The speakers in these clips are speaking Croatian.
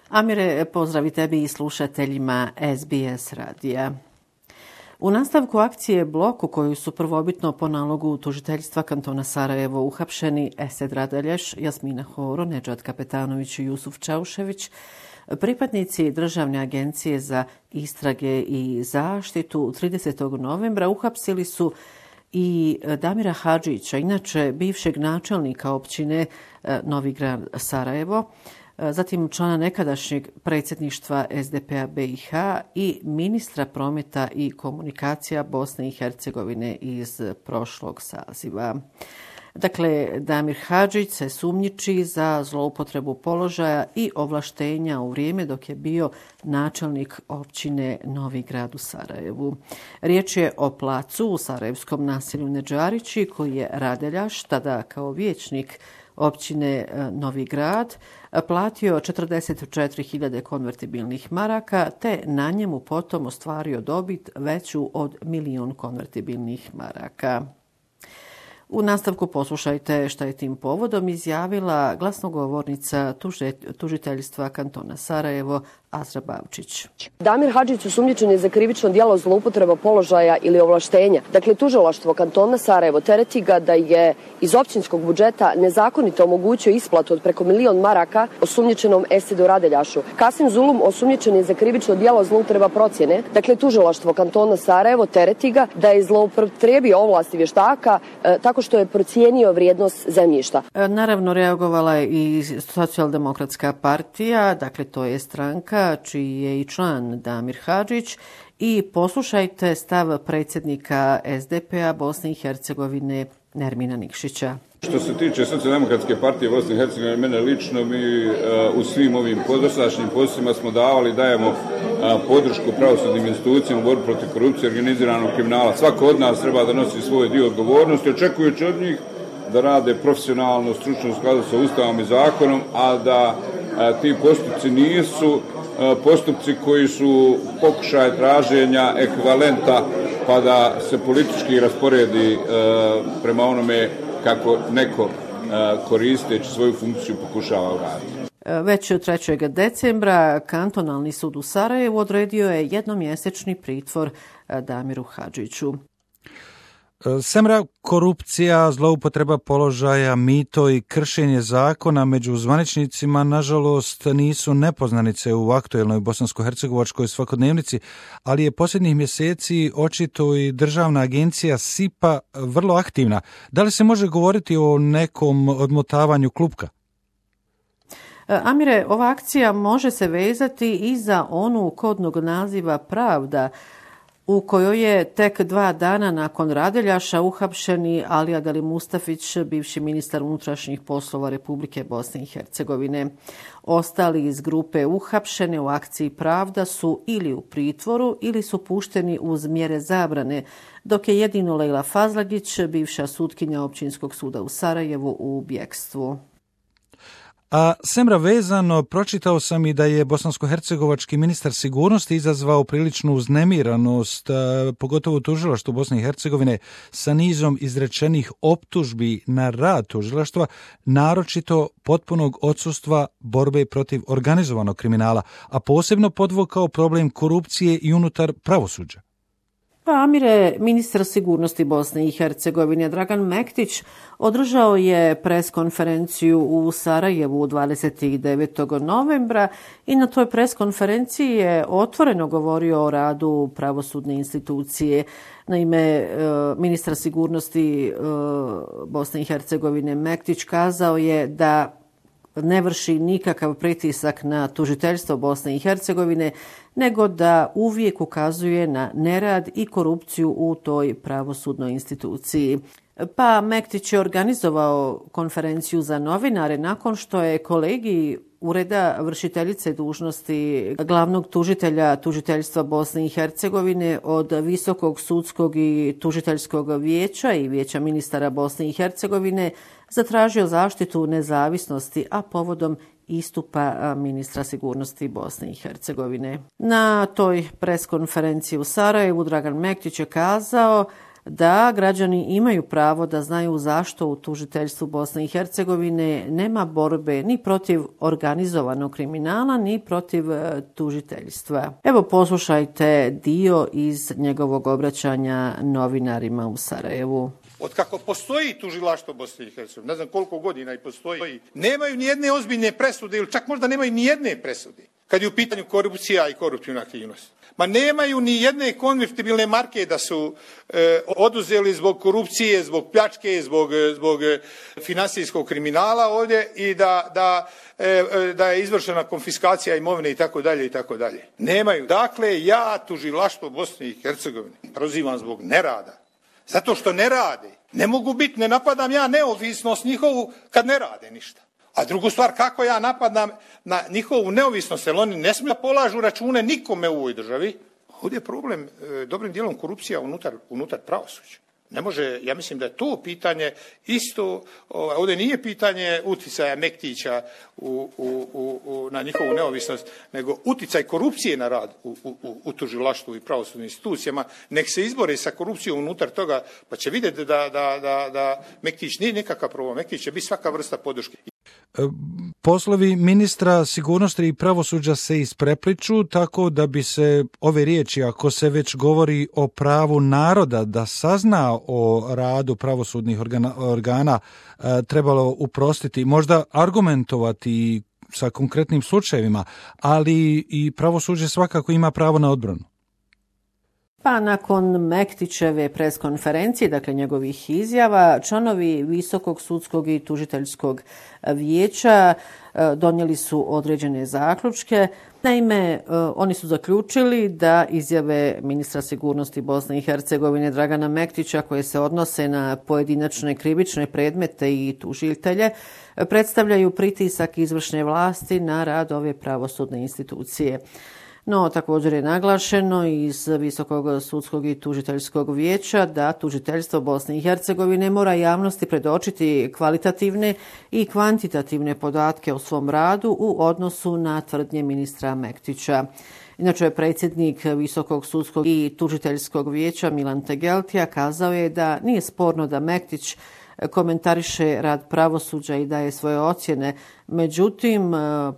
Amire, pozdravi tebi i slušateljima SBS radija. U nastavku akcije Blok, u koju su prvobitno po nalogu tužiteljstva kantona Sarajevo uhapšeni Esed Radelješ, Jasmina Horo, Nedžad Kapetanović i Jusuf Čaušević, pripadnici Državne agencije za istrage i zaštitu 30. novembra uhapsili su i Damira Hadžića, inače bivšeg načelnika općine Novi Grad Sarajevo, zatim člana nekadašnjeg predsjedništva SDP-a BiH i ministra prometa i komunikacija Bosne i Hercegovine iz prošlog saziva. Dakle, Damir Hadžić se sumnjiči za zloupotrebu položaja i ovlaštenja u vrijeme dok je bio načelnik općine Novi Grad u Sarajevu. Riječ je o placu u sarajevskom naselju Nedžarići koji je Radeljaš, tada kao vijećnik općine Novi Grad, platio 44.000 konvertibilnih maraka te na njemu potom ostvario dobit veću od 1.000.000 konvertibilnih maraka. U nastavku poslušajte šta je tim povodom izjavila glasnogovornica tužiteljstva kantona Sarajevo Azra Bavčić. Damir Hadžić osumnjičen je za krivično djelo zloupotreba položaja ili ovlaštenja. Dakle, tužilaštvo kantona Sarajevo tereti ga da je iz općinskog budžeta nezakonito omogućio isplatu od preko 1.000.000 maraka osumnjičenom Esedu Radeljašu. Kasim Zulum osumnjičen je za krivično djelo zloupotreba procjene. Dakle, tužilaštvo kantona Sarajevo tereti ga da je zloupotrijebio ovlasti vještaka tako što je procijenio vrijednost zemljišta. Naravno, reagovala je i Socijaldemokratska partija, dakle to je stranka čiji je i član Damir Hadžić, i poslušajte stav predsjednika SDP-a Bosne i Hercegovine Nermina Nikšića. Što se tiče Socijaldemokratske partije Bosne i Hercegovine, mene lično, mi u svim ovim dosadašnjim poslovima smo dajemo podršku pravosudnim institucijama u borbi protiv korupcije i organiziranog kriminala. Svako od nas treba da nosi svoj dio odgovornosti, očekujući od njih da rade profesionalno, stručno u skladu sa Ustavom i zakonom, a da ti postupci nisu postupci koji su pokušaj traženja ekvivalenta pa da se politički rasporedi prema onome kako neko koristeći svoju funkciju pokušava uraditi. Već 3. decembra kantonalni sud u Sarajevu odredio je jednomjesečni pritvor Damiru Hadžiću. Semra, korupcija, zloupotreba položaja, mito i kršenje zakona među zvaničnicima nažalost nisu nepoznanice u aktuelnoj bosansko-hercegovačkoj svakodnevnici, ali je posljednjih mjeseci očito i Državna agencija SIPA vrlo aktivna. Da li se može govoriti o nekom odmotavanju klupka? Amire, ova akcija može se vezati i za onu kodnog naziva Pravda, u kojoj je tek 2 dana nakon Radeljaša uhapšeni Alija Deli Mustafić, bivši ministar unutrašnjih poslova Republike Bosne i Hercegovine. Ostali iz grupe uhapšene u akciji Pravda su ili u pritvoru ili su pušteni uz mjere zabrane, dok je jedino Lejla Fazlagić, bivša sutkinja Općinskog suda u Sarajevu, u bjekstvu. A Semra, vezano, pročitao sam i da je bosansko-hercegovački ministar sigurnosti izazvao priličnu uznemiranost, pogotovo u tužilaštvu Bosne i Hercegovine, sa nizom izrečenih optužbi na rad tužilaštva, naročito potpunog odsustva borbe protiv organizovanog kriminala, a posebno podvukao problem korupcije i unutar pravosuđa. Pa Amire, ministar sigurnosti Bosne i Hercegovine Dragan Mektić održao je preskonferenciju u Sarajevu 29. novembra i na toj preskonferenciji je otvoreno govorio o radu pravosudne institucije. Naime, ministar sigurnosti Bosne i Hercegovine Mektić kazao je da ne vrši nikakav pritisak na tužiteljstvo Bosne i Hercegovine, nego da uvijek ukazuje na nerad i korupciju u toj pravosudnoj instituciji. Pa Mektić je organizovao konferenciju za novinare nakon što je kolegij Ureda vršiteljice dužnosti glavnog tužitelja tužiteljstva Bosne i Hercegovine od Visokog sudskog i tužiteljskog vijeća i vijeća ministara Bosne i Hercegovine zatražio zaštitu nezavisnosti, a povodom istupa ministra sigurnosti Bosne i Hercegovine. Na toj preskonferenciji u Sarajevu Dragan Mektić je kazao da građani imaju pravo da znaju zašto u tužiteljstvu Bosne i Hercegovine nema borbe ni protiv organizovanog kriminala, ni protiv tužiteljstva. Evo poslušajte dio iz njegovog obraćanja novinarima u Sarajevu. Od kako postoji tužilaštvo Bosne i Hercegovine, ne znam koliko godina i postoji, nemaju ni jedne ozbiljne presude ili čak možda nemaju ni jedne presude kad je u pitanju korupcija i koruptivna aktivnost. Ma nemaju ni jedne konvertibilne marke da su oduzeli zbog korupcije, zbog pljačke, zbog finansijskog kriminala ovdje i da je izvršena konfiskacija imovine i tako dalje i tako dalje. Nemaju. Dakle, ja tužilaštvo Bosne i Hercegovine prozivam zbog nerada. Zato što ne rade. Ne mogu biti, ne napadam ja neovisnost njihovu kad ne rade ništa. A drugu stvar, kako ja napadam na njihovu neovisnost, jer oni ne smiju da polažu račune nikome u ovoj državi. Ovdje je problem dobrim dijelom korupcija unutar pravosuđa. Ne može, ja mislim da je to pitanje isto, ovdje nije pitanje uticaja Mektića na njihovu neovisnost, nego uticaj korupcije na rad u tužilaštvu i pravosudnim institucijama. Nek se izbore sa korupcijom unutar toga, pa će vidjeti da Mektić nije nikakav problem. Mektić će biti svaka vrsta podrške. Poslovi ministra sigurnosti i pravosuđa se isprepliču, tako da bi se ove riječi, ako se već govori o pravu naroda da sazna o radu pravosudnih organa, trebalo uprostiti, možda argumentovati sa konkretnim slučajevima, ali i pravosuđe svakako ima pravo na odbranu. Pa nakon Mektićeve preskonferencije, dakle njegovih izjava, članovi Visokog sudskog i tužiteljskog vijeća donijeli su određene zaključke. Naime, oni su zaključili da izjave ministra sigurnosti Bosne i Hercegovine Dragana Mektića, koje se odnose na pojedinačne krivične predmete i tužitelje, predstavljaju pritisak izvršne vlasti na rad ove pravosudne institucije. No, također je naglašeno iz Visokog sudskog i tužiteljskog vijeća da tužiteljstvo Bosne i Hercegovine mora javnosti predočiti kvalitativne i kvantitativne podatke o svom radu u odnosu na tvrdnje ministra Mektića. Inače, predsjednik Visokog sudskog i tužiteljskog vijeća Milan Tegeltija kazao je da nije sporno da Mektić komentariše rad pravosuđa i daje svoje ocjene. Međutim,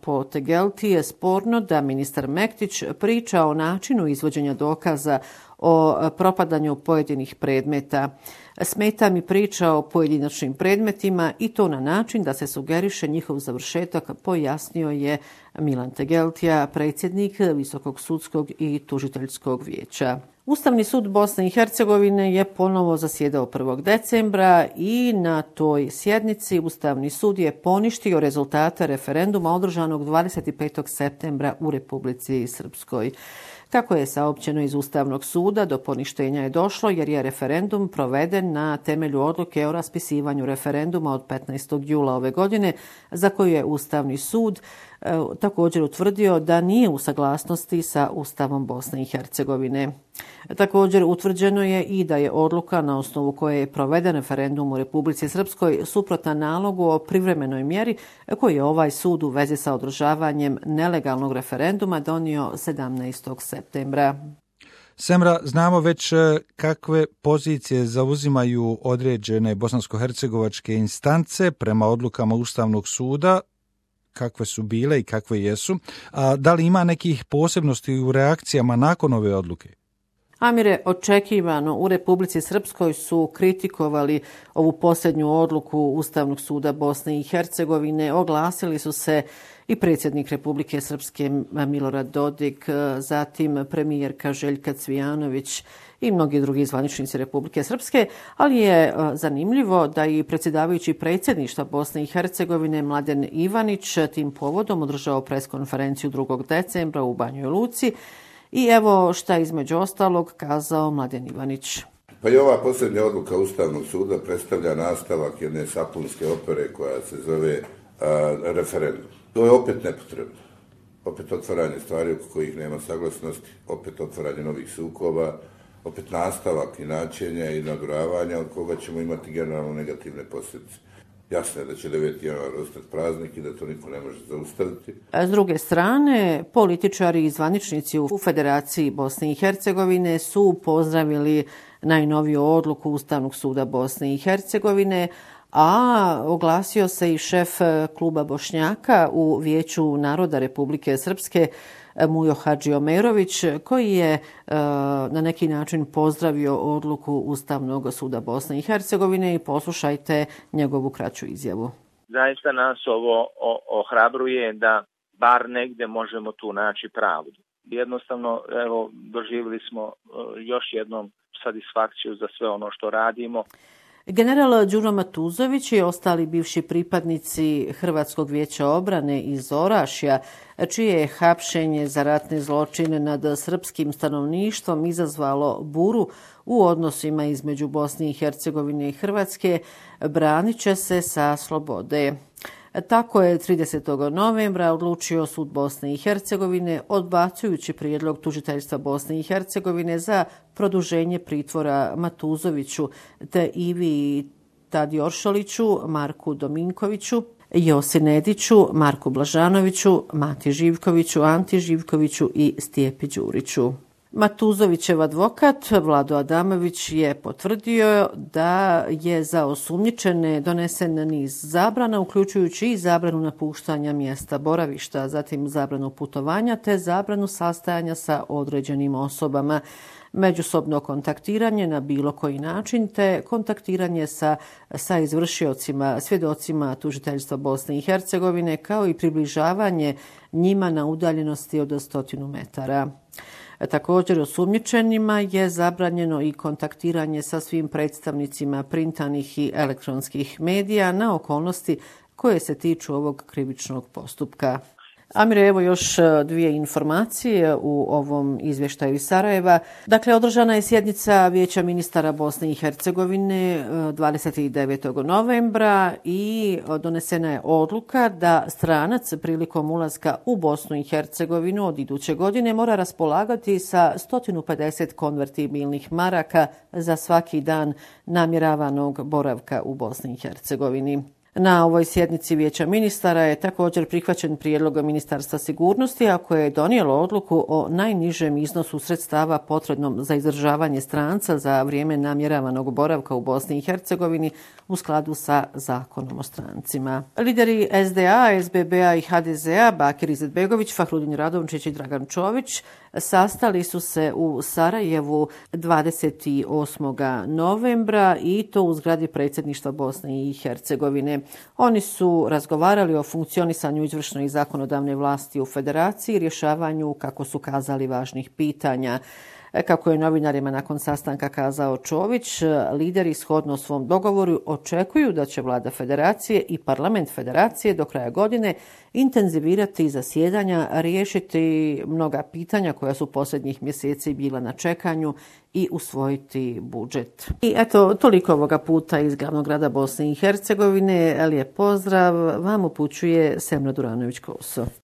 po Tegelti je sporno da ministar Mektić priča o načinu izvođenja dokaza o propadanju pojedinih predmeta. Smeta mi priča o pojedinačnim predmetima i to na način da se sugeriše njihov završetak, pojasnio je Milan Tegeltija, predsjednik Visokog sudskog i tužiteljskog vijeća. Ustavni sud Bosne i Hercegovine je ponovo zasjedao 1. decembra i na toj sjednici Ustavni sud je poništio rezultate referenduma održanog 25. septembra u Republici Srpskoj. Kako je saopćeno iz Ustavnog suda, do poništenja je došlo jer je referendum proveden na temelju odluke o raspisivanju referenduma od 15. jula ove godine, za koju je Ustavni sud također utvrdio da nije u saglasnosti sa Ustavom Bosne i Hercegovine. Također utvrđeno je i da je odluka na osnovu koje je proveden referendum u Republici Srpskoj suprotna nalogu o privremenoj mjeri koji je ovaj sud u vezi sa održavanjem nelegalnog referenduma donio 17. septembra. Semra, znamo već kakve pozicije zauzimaju određene bosansko-hercegovačke instance prema odlukama Ustavnog suda, kakve su bile i kakve jesu. A da li ima nekih posebnosti u reakcijama nakon ove odluke? Amire, očekivano u Republici Srpskoj su kritikovali ovu posljednju odluku Ustavnog suda Bosne i Hercegovine. Oglasili su se i predsjednik Republike Srpske Milorad Dodik, zatim premijerka Željka Cvijanović i mnogi drugi zvaničnici Republike Srpske, ali je zanimljivo da i predsjedavajući predsjedništva Bosne i Hercegovine Mladen Ivanić tim povodom održao preskonferenciju 2. decembra u Banjoj Luci. I evo šta između ostalog kazao Mladen Ivanić. Pa i ova posljednja odluka Ustavnog suda predstavlja nastavak jedne sapunske opere koja se zove referendum. To je opet nepotrebno. Opet otvaranje stvari oko kojih nema saglasnosti, opet otvaranje novih sukoba, opet nastavak inačenja i naduravanja od koga ćemo imati generalno negativne posljedice. Jasno je da će 9. januar ostati praznik i da to niko ne može zaustaviti. S druge strane, političari i zvaničnici u Federaciji Bosne i Hercegovine su pozdravili najnoviju odluku Ustavnog suda Bosne i Hercegovine, a oglasio se i šef kluba Bošnjaka u Vijeću naroda Republike Srpske Mujo Hadžiomerović, koji je na neki način pozdravio odluku Ustavnog suda Bosne i Hercegovine i poslušajte njegovu kraću izjavu. Zaista nas ovo ohrabruje da bar negde možemo tu naći pravdu. Jednostavno, evo, doživjeli smo još jednom satisfakciju za sve ono što radimo. General Đuro Matuzović i ostali bivši pripadnici Hrvatskog vijeća obrane iz Orašja, čije je hapšenje za ratne zločine nad srpskim stanovništvom izazvalo buru u odnosima između Bosne i Hercegovine i Hrvatske, branit će se sa slobode. Tako je 30. novembra odlučio sud Bosne i Hercegovine, odbacujući prijedlog tužiteljstva Bosne i Hercegovine za produženje pritvora Matuzoviću te Ivi Tadioršoliću, Marku Dominkoviću, Josi Nediću, Marku Blažanoviću, Mati Živkoviću, Anti Živkoviću i Stijepi Đuriću. Matuzovićev advokat Vlado Adamović je potvrdio da je za osumnjičene donesen niz zabrana, uključujući i zabranu napuštanja mjesta boravišta, zatim zabranu putovanja te zabranu sastajanja sa određenim osobama, međusobno kontaktiranje na bilo koji način te kontaktiranje sa izvršiocima, svjedocima tužiteljstva Bosne i Hercegovine, kao i približavanje njima na udaljenosti od 100 metara. Također osumnjičenima je zabranjeno i kontaktiranje sa svim predstavnicima printanih i elektronskih medija na okolnosti koje se tiču ovog krivičnog postupka. Amire, evo još dvije informacije u ovom izvještaju iz Sarajeva. Dakle, održana je sjednica Vijeća ministara Bosne i Hercegovine 29. novembra i donesena je odluka da stranac prilikom ulaska u Bosnu i Hercegovinu od iduće godine mora raspolagati sa 150 konvertibilnih maraka za svaki dan namjeravanog boravka u Bosni i Hercegovini. Na ovoj sjednici Vijeća ministara je također prihvaćen prijedlog Ministarstva sigurnosti, a koje je donijelo odluku o najnižem iznosu sredstava potrebnom za izdržavanje stranca za vrijeme namjeravanog boravka u Bosni i Hercegovini u skladu sa Zakonom o strancima. Lideri SDA, SBB-a i HDZ-a Bakir Izetbegović, Fahrudin Radončić i Dragan Čović sastali su se u Sarajevu 28. novembra i to u zgradi predsjedništva Bosne i Hercegovine. Oni su razgovarali o funkcionisanju izvršne i zakonodavne vlasti u federaciji, rješavanju, kako su kazali, važnih pitanja. Kako je novinarima nakon sastanka kazao Čović, lideri shodno svom dogovoru očekuju da će vlada federacije i parlament federacije do kraja godine intenzivirati zasjedanja, riješiti mnoga pitanja koja su posljednjih mjeseci bila na čekanju i usvojiti budžet. I eto, toliko ovoga puta iz glavnog grada Bosne i Hercegovine. Lijep pozdrav vam upućuje Semra Duranović-Kouso.